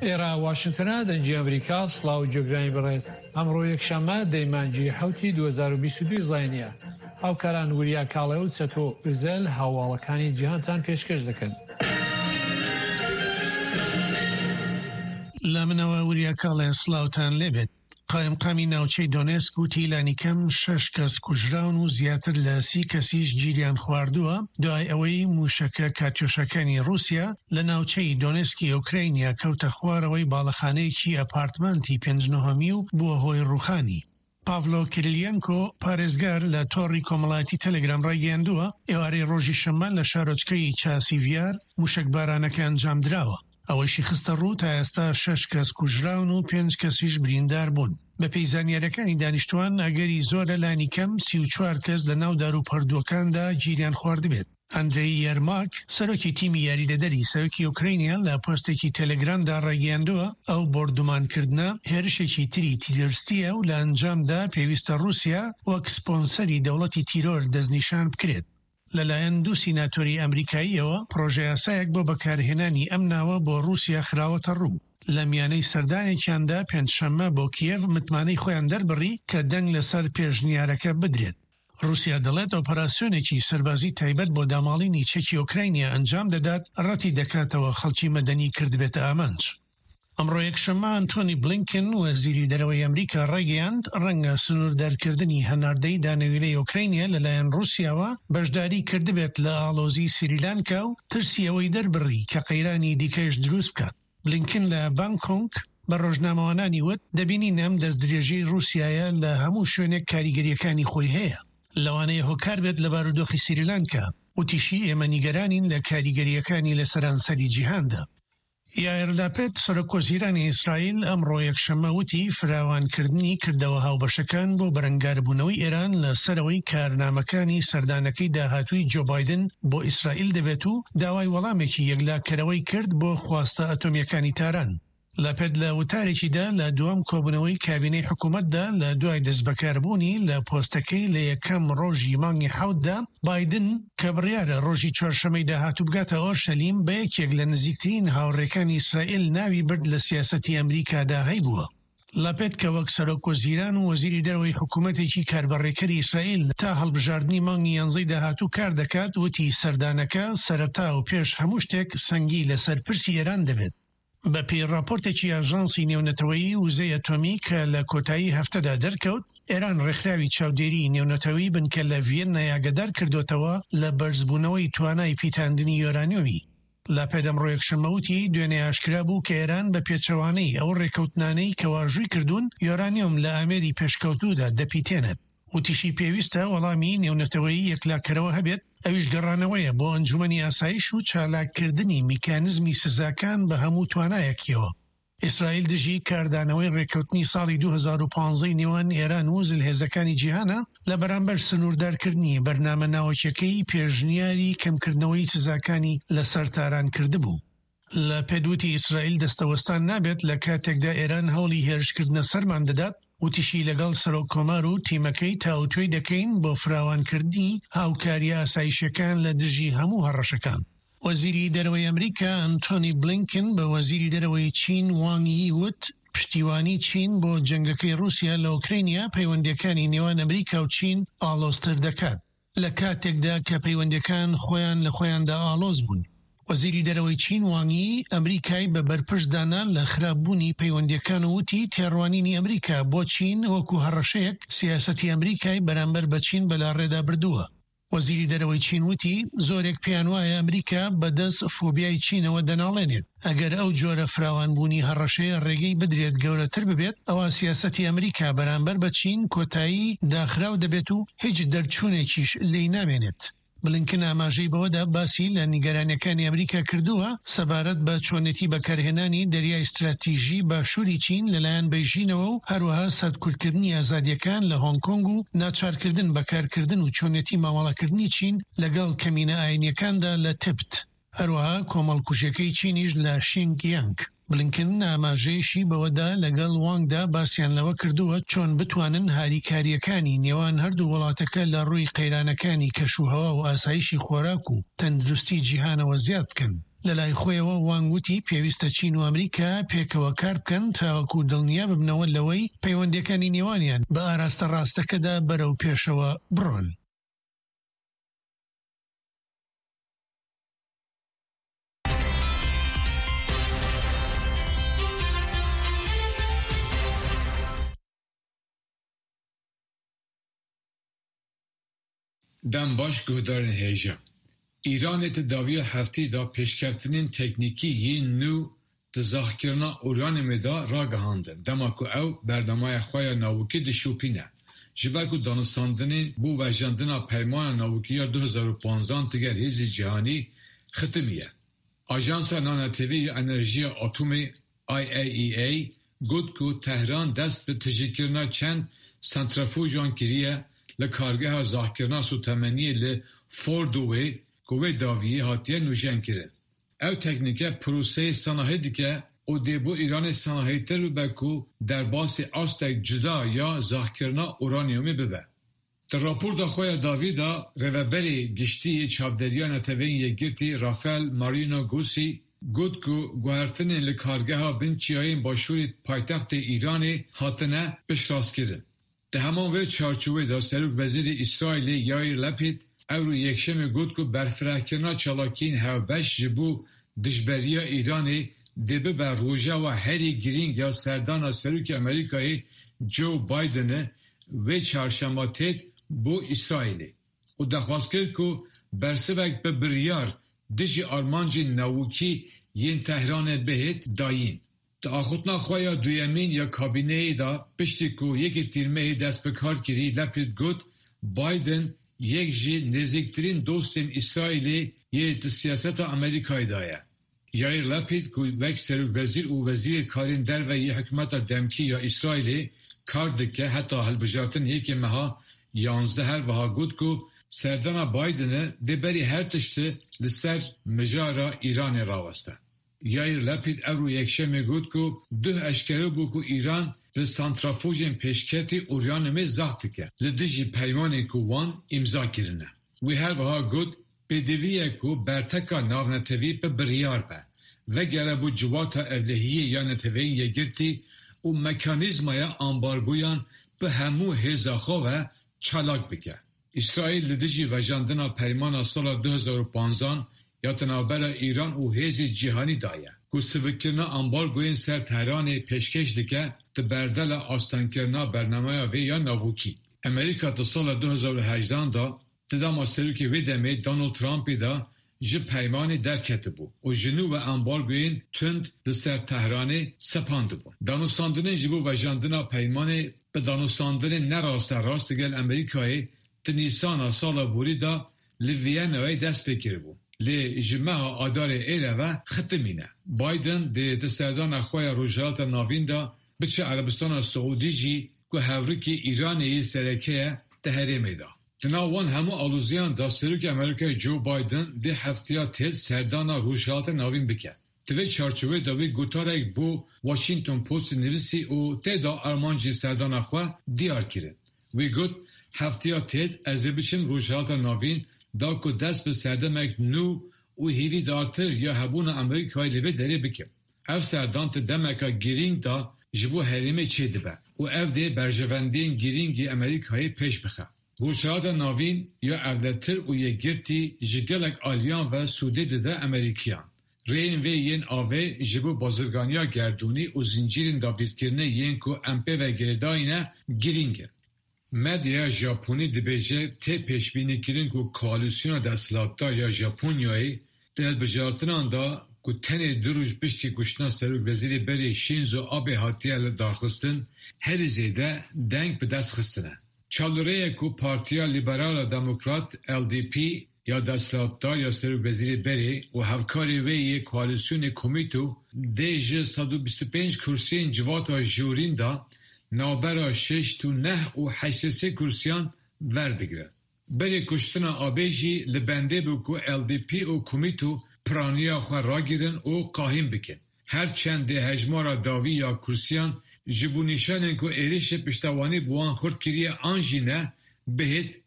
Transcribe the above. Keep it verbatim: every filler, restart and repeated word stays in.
ئێرە واشنتنە، دەنگی ئەمریکا. سڵاو گوێگرانی بەڕێز. ئەمڕۆ یەکشەممە دەی مانگی حەوتی دوو هەزار و بیست و دوو زاینیە. هاوکاران وریا کاڵێ و چەتۆ ئوزەل هەواڵەکانی جیهانتان پێشکەش دەکەن. لە منەوە وریا کاڵێ، سڵاوتان لێبێت. قایمقامی ناوچەی دۆنێسک وتی لانیکەم شەش کەس کوژراون و زیاتر لە سی کەسیش گیریان خواردووە، دوای ئەوەی موشەکە کاتیۆشەکانی رووسیا لە ناوچەی دۆنێسکی ئۆکراینیا کەوتە خوارەوەی باڵەخانەیەکی ئەپارتمانتی پێنج نهۆمی و بووە هۆی ڕووخانی. پاڤلۆ کیریلینکۆ، پارێزگار، لە تۆڕی کۆمەڵایەتی تەلەگرام ڕایگەیاندووە ئێوارەی ڕۆژی شەممە لە شارۆچکەی چاسیڤیار موشەکبارانەکە ئەنجام دراوە. ئەوەشی خستە ڕوو تا ئێستا شەش کەس کوژراون و پێنج کەسیش بریندار بوون. بەپێی زانیاریەکانی دانیشتوان، ئەگەری زۆرە لانی کەم سی و چوار کەس لە ناو دار و پەردووەکاندا گیریان خواردبێت. ئەندرێی یەرماک، سەرۆکی تیمی یاریدەدەری سەرۆکی ئۆکراینیا، لە پۆستێکی تەلەگرامدا ڕایگەیاندووە ئەو بۆردومانکردنە هێرشێکی تری تیرۆرستیە و لە ئەنجامدا پێویستە رووسیا وەک سپۆنسەری دەوڵەتی تیرۆر دەستنیشان بکرێت. لەلایەن دوو سیناتۆری ئەمریکاییەوە پرۆژەیاسایەک بۆ بەکارهێنانی ئەم ناوە بۆ رووسیا خراوەتە ڕوو. لە میانەی سەردانێکیاندا پێنجشەممە بۆ کیێڤ متمانەی خۆیان دەربڕی کە دەنگ لەسەر پێشنیارەکە بدرێت. رووسیا دەڵێت ئۆپەراسیۆنێکی سەربازی تایبەت بۆ داماڵینی چەکی ئۆکراینیا ئەنجام دەدات، ڕەتی دەکاتەوە خەڵکی مەدەنی کردبێتە ئامانج. ئەمڕۆ یەکشەممە ئەنتۆنی بلینکن، وەزیری دەرەوەی ئەمریکا، ڕایگەیاند ڕەنگە سنووردارکردنی هەناردەی دانەویلەی ئۆکراینیا لەلایەن رووسیاوە بەشداری کردبێت لە ئاڵۆزی سریلانکا و ترسی ئەوەی دەربڕی کە قەیرانی دیکەش دروست بکات. بلینکن لە بانکۆک بە ڕۆژنامەوانانی وت دەبینین ئەم دەستدرێژی رووسایە لە هەموو شوێنێک کاریگەریەکانی خۆی هەیە، لەوانەیە هۆکار بێت لە بارودۆخی سریلانکا. وتیشی ئێمە نیگەرانین لە کاریگەریەکانی لە سەرانسەری جیهاندا. یایر لاپێد، سەرۆک وەزیرانی ئیسرائیل، ئەمڕۆ یەکشەممە وتی فراوانکردنی کردەوە هاوبەشەکان بۆ بەرەنگاربوونەوەی ئێران لە سەرەوەی کارنامەکانی سەردانەکەی داهاتووی جۆ بایدن بۆ ئیسرائیل دەبێت و داوای وەڵامێکی یەکلاکەرەوەی کرد بۆ خواستە ئەتۆمیەکانی تاران. لاپێد لە وتارێکیدا لە دووەم کۆبوونەوەی کابینەی حکوومەتدا لە دوای دەستبەکاربوونی لە پۆستەکەی لە یەکەم ڕۆژی مانگی حەوتدا، بایدن کە بڕیارە ڕۆژی چوارشەمەی داهاتوو بگاتە ئۆرشەلیم، بە یەکێک لە نزیکترین هاوڕێکانی ئیسرائیل ناوی برد لە سیاسەتی ئەمریکادا هەیبووە. لاپێد کە وەک سەرۆک وەزیران و وەزیری دەرەوەی حکوومەتێکی کاربەڕێکەری ئیسرائیل تا هەڵبژاردنی مانگی یانزەی داهاتوو کار دەکات، وتی سەردانەکە سەرەتا و پێش هەموو شتێک سەنگی لەسەر پرسی ئێران دەبێت. بە پێی راپۆرتێکی ئاژانسی نێونەتەوەیی وزەی ئەتۆمی کە لە کۆتایی هەفتەدا دەرکەوت، ئێران ڕێکخراوی چاودێری نێونەتەوەی بنکە لە ڤیەننا ئاگادار کردوتەوە لە بەرزبوونەوەی توانای پیتاندنی یۆرانیۆمی. لاپێد ئەمڕۆ یەکشەممە وتی دوێنێ ئاشکرا بوو کە ئێران بە پێچەوانەی ئەو ڕێکەوتنانەی کە واژووی کردوون، یۆرانیۆم لە ئامێری پێشکەوتوودا دەپیتێنێت. وتیشی پێویستە وەڵامی نێونەتەوەیی یەکلاکەرەوە هەبێت، ئەویش گەڕانەوەیە بۆ ئەنجومەنی ئاسایش و چالاککردنی میکانزمی سزاکان بە هەموو توانایەکیەوە. ئیسرائیل دژی کاردانەوەی ڕێککەوتنی ساڵی دوو هەزار و پازدە نێوان ئێران و زلهێزەکانی جیهانە لە بەرامبەر سنووردارکردنی بەرنامە ناوەکیەکەی، پێشنیاری کەمکردنەوەی سزاکانی لەسەر تاران کردبوو. لاپێد وتی ئیسرائیل دەستەوەستان نابێت لە کاتێکدا ئێران هەوڵی هێرشکردنە سەرمان دەدات. وتیشی لەگەڵ سەرۆک کۆمار و تیمەکەی تاوتوێی دەکەین بۆ فراوانکردنی هاوکاری ئاسایشەکان لە دژی هەموو هەڕەشەکان. وەزیری دەرەوەی ئەمریکا ئەنتۆنی بلینکن بە وەزیری دەرەوەی چین وانگ یی وت پشتیوانی چین بۆ جەنگەکەی رووسیا لە ئۆکرینیا پەیوەندیەکانی نێوان ئەمریکا و چین ئاڵۆزتر دەکات، لە کاتێکدا کە پەیوەندیەکان خۆیان لە خۆیاندا ئاڵۆز بوون. وەزیری دەرەوەی چین وانگ یی ئەمریکای بە بەرپرس دانا لە خراپبوونی پەیوەندیەکان و وتی تێڕوانینی ئەمریکا بۆ چین وەکو هەڕەشەیەک سیاسەتی ئەمریکای بەرامبەر بە چین بەلاڕێدا بردووە. وەزیری دەرەوەی چین وتی زۆرێک پێیان وایە ئەمریکا بەدەست فۆبیای چینەوە دەناڵێنێت. ئەگەر ئەو جۆرە فراوانبوونی هەڕەشەیە ڕێگەی بدرێت گەورەتر ببێت، ئەوە سیاسەتی ئەمریکا بەرامبەر بە چین کۆتایی داخراو دەبێت و هیچ دەرچوونێکیش لێی نامێنێت. بلینکن ئاماژەی بەوەدا باسی لە نیگەرانیەکانی ئەمریکا کردووە سەبارەت بە چۆنێتی بەکارهێنانی دەریای استراتیژی باشووری چین لەلایەن بەیژینەوە و هەروەها سەرکوتکردنی ئازادیەکان لە هۆنگ کۆنگ و ناچارکردن بەکارکردن و چۆنێتی مامەڵەکردنی چین لەگەڵ کەمینە ئاینیەکاندا لە تبت، هەروەها کۆمەڵکوژیەکەی چینیش لە شینگ یانگ. بلینکن ئاماژەیشی بەوەدا لەگەڵ وانگدا باسییان لەوە کردووە چۆن بتوانن هاریکاریەکانی نێوان هەردوو وڵاتەکە لە ڕووی قەیرانەکانی کەشوهەوا و ئاسایشی خۆراک و تەندروستی جیهانەوە زیاد بکەن. لەلای خۆیەوە وانگ وتی پێویستە چین و ئەمریکا پێکەوە کار بکەن تاوەکو دڵنیا ببنەوە لەوەی پەیوەندیەکانی نێوانیان بە ئاراستە ڕاستەکەدا بەرەو پێشەوە بڕۆن. Dem baş guhdarên hêja. Îranê di dawiya hefteyê de pêşkeftinên teknîkî yên nû di zaxkirina uraniyumê de ragihandin, dema ku ew bernameya xwe ya navokî dişopîne. Ji ber ku danûstandinên bo vejandina peymana navokî ya du hezar û panzdehan digel hêzê cîhanî xitimiye. Ajansa Navnetewî ya Enerjiya Atomê I A E A got ku Tehran dest bi tijîkirina çend santrafujan kiriye li kargeha zaxkirina sotemeniyê li Fordowê ku wê dawiyê hatiye nûjenkirin. Ew teknîke proseyê sanahî dike û dê bo Îranê sanahîtir bibe ku derbasê astek cuda ya zaxkirina uraniyumê bibe. Di raporta xwe ya dawî de Rêveberê Giştî yê Çavdêriya Neteweyên Yekgirtî Rafael Mariano Grossi got ku guhertinên li kargeha bin çiyayên başûrê paytextê Îranê hatine piştrastkirin. Di heman vê çarçoveyê de Serokwezîrê Îsraîlê Yair Lapid ewro yekşemê got ku berfirehkirina çalakiyên hevbeş ji bo dijberiya Îranê dê bibe rojeva herî girîng ya serdana Serokê Amerîkayê Joe Bidenê wê çarşema têt bo Îsraîlê û daxwaz kir ku bersivek bi biryar dijî armancên navokî yên Tehranê bihêt dayîn. Di axivtina xwe ya duyemîn ya kabîneyê de piştî ku yekê tîrmehê dest bi kar kirî Lapid got Biden yek ji nêzîktirîn dostên Îsraîlê yê di siyaseta Amerîkayê de ye. Yair Lapid ku wek serokwezîr û wezîrê karên derve yê hikûmeta demkî ya Îsraîlê kar dike heta hilbijartin yekê meha yanzdeh her wiha got ku serdana Bidenê dê berî her tiştî li ser mijara Îranê raweste. Yair Lapid ewro yekşemê got ku duh eşkere bû ku Îran li santrafojên pêşketî uraniyumê zax dike li dijî peymanên ku wan îmza kirine. Wî her wiha got pêdivî ye ku berteka navnetewî bi biryar be, vegere bo civata ewlehiyê ya Neteweyên Yekgirtî û mekanîzmaya ambargoyan bi hemû hêza xwe ve çalak bike. İsraîl li dijî vejandina peymana sala du hezar û panzdehan ya di navbera Îran û hêzê cîhanî daye ku sivikkirina ambargoyên ser Tehranê pêşkêş dike di berdela astengkirina bernameya vê ya navokî. Amerîka di sala du hezar û hejdehan de di dema serokê wê demê Donald Trumpê de ji peymanê derketibû û ji nû ve ambargoyên tund li ser Tehranê sepandibûn. Danûstandinên ji bo vejandina peymanê bi danûstandinên nerasterast digel Amerîkayê di Nîsana sala borî de li Viyenayê dest pê kiribû. Lê ji meha Adarê êre ve xitimîne. Biden dê di serdana xwe ya Rojhilata Navîn de biçe Erebistana Siûdî jî ku hevrikê Îranê yê sereke ye di herêmê de. Di nav wan hemû aloziyan de Serokê Amerîkayê Joe Biden dê hefteya têl serdana Rojhilata Navîn bike. Di vê çarçoveyê de wî gotarek bo Washington Postê nivîsî û tê de armancên serdana xwe diyar kirin. Wî got hefteya têl ez ê biçim Rojhilata Navîn da ku dest bi serdemek nû û hêvîdartir ya hebûna Amerîkayê li vê derê bikim. Ev serdan di demeke girîng de ji bo herêmê çêdibe û ev dê berjewendiyên girîngê Amerîkayê pêş bixe. Rojhilata Navîn ya ewletir û yekgirtî ji gelek aliyan ve sûdê dide Amerîkiyan. Rêyên vê yên avê ji bo bazirganiya gerdûnî û zincîrên dabîrkirinê yên ku em pê ve girêdayîne girîng in. Medyaya Japonî dibêje tê pêşbînîkirin ku koalîsyona desthilatdar ya Japonyayê di hilbijartinan de ku tenê du roj piştî kuştina Serokwezîrê berê Shinzo Abe hatiye lidarxistin, herî zêde deng bi dest xistine. Çalirêye ku Partiya Liberal a Demokrat L D P ya desthilatdar ya Serokwezîrê berê û hevkarê wê yê koalîsyonê Komîto dê ji sed û bîst û pênc kursiyên civata jorîn de navbera şêst û neh û heştê sê kursiyan werbigire. Berê kuştina Abe jî li bendê bû ku L D P û Komîto piraniya xwe ragirin û qahîm bikin. Her çend dê hejmara dawî ya kursiyan ji bo nîşanên ku êrişê piştevanî bi wan xurt kiriye an jî ne bihêt